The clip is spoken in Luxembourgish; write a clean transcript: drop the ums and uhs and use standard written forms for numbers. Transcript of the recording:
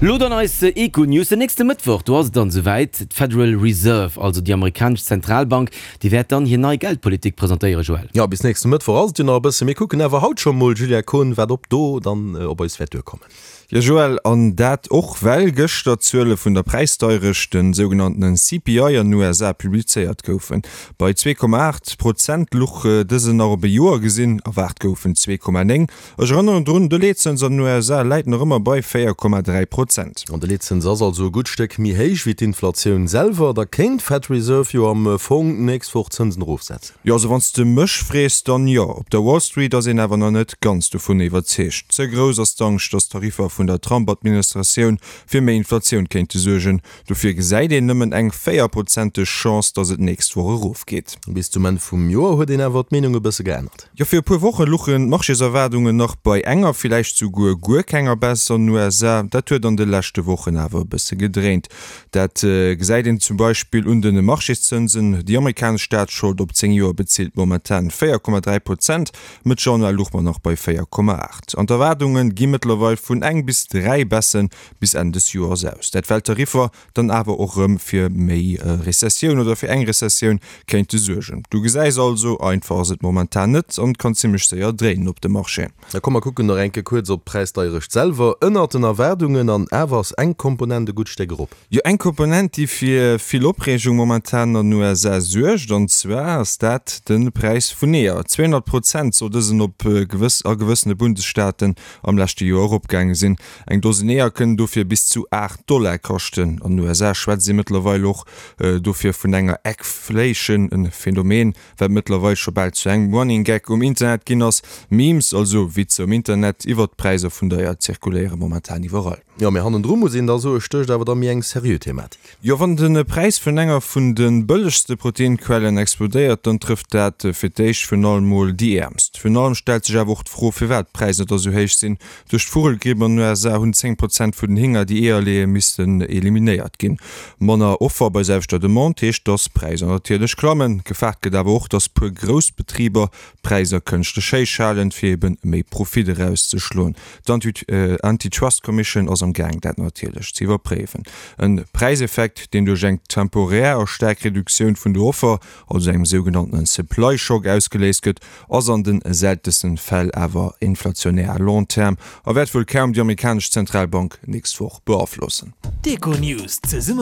Lo dann eis Econews. Den nächste Mëttwoch, do ass et dann esouwäit, D'Federal Reserve, also déi amerikanesch Zentralbank, déi wäert dann hir nei Geldpolitik presentéieren, Joël. Jo, bis nächste Mëttwoch ass et jo nach e bëssen. Mir kucken awer haut scho mol, Julia Kohn, wat op do dann op eis wäert duerkommen. Jo Joël, an dat och well gëschter d'Zuele vun der Präisdeierecht, den sougenanntenen CPI an den USA publizéiert goufen. Bei 2,8 Prozent luch dësen nach op e Joer gesinn, erwaart goufen 2,9. Ech erënneren drun, de Leetzëns an den USA läit nach ëmmer bei 4,3 Prozent. An de Leetzëns ass also e gutt Stéck méi héich wéi d'Inflatioun selwer. Da kéint d'Fed Reserve jo am Fong d'nächst Woch d'Zënsen erofsetzen. Jo, also wann s de mech frees, dann jo. Op der Wall Street ass een awer nach net ganz dovun iwwerzeegt. Ze grouss ass d'Angscht, datt d'Tariffer vun der Trump-Administratioun fir méi Inflatioun kéinte suergen. Dofir gesäit een nëmmen eng véierprozenteg Chance, datt et d'nächst Woch erofgeet. Bis zum Enn vum Joer huet een awer d'Meenung e bësse geännert. Jo, fir e puer Woche luchen d'Marchéserwaardungen nach bei enger, villäicht souguer guer kenger Baisse an den USA. Dat huet an de leschte Wochen awer e bësse gedréint. Dat gesäit een zum Beispill un de Marchészënsen. Déi amerikanesch Staatsschold op 10 Joer bezilt momentan 4,3 Prozent, Mëtt Januar luch mer nach bei 4,8. An d'Erwaardunge gi mëttlerweil vun eng bis 3 Baisse bis Enn des Joers aus. Dat well d'Tariffer dann awer och rëm fir méi Rezessioun oder fir eng Rezessioun kéinte suergen. Du gesäis also, einfach ass et momentan net an et kann zimmlech séier dréinen op dem Marché. Da komm mer kucken nach eng Kéier kuerz op d'Präisdeierecht selwer. Ënnert den Erwaardungen an awer ass eng Komponent e gutt Stéck erop. Jo, eng Komponent, déi fir vill Opreegung momentan an den USA suergt, an zwar ass dat de Präis vun Eeër. 200 Prozent soll dësen op gewëss a gewëssene Bundesstaaten am leschte Joer eropgaange sinn. Eng Dosen Eeër kënnen dofir bis zu 8 Dollar kaschten. An den USA schwätzt ee mëttlerweil och dofir vun enger Eggflation, e Phänomen, wat mëttlerweil scho bal zu engem Running Gag um Internet ginn ass. Memes, also Witzer um Internet iwwert d'Präisser vun der Eier zirkuléiere momentan iwwerall. Jo, mee hannendru muss een da soe stécht awer da méi eng seriö Thematik. Jo, wann de Präis vun enger vun de bëllegste Proteinquellen explodéiert, dann trëfft dat fir d'éischt virun allem mol déi Äermst. Virun allem stellt sech awer och d'Fro, firwat d'Präisser da sou héich sinn. Duerch d'Vugelgripp an den USA hunn 10 Prozent vun den Hinger, déi Eeër leeën, missten eliminéiert ginn. Manner Offer bei selwechter Demande heescht, dass d'Präisser natierlech klammen. Gefaart gëtt awer och, dass puer grouss Betriber d'Präisser kënschtlech héich halen, fir eben méi Profit erauszeschloen. D'Antitrust Commission ass am Gaang, dat natierlech ze iwwerpréiwen. E Präiseffekt, deen duerch eng temporär a staark Reduktioun vun der Offer, also engem sougenanntenen Supply Shock, ausgeléist gëtt, ass an den seltensten Fäll awer inflationär à long terme a wäert wuel kaum déi amerikanesch Zentralbank nächst Woch beaflossen. D'Econews zesumme.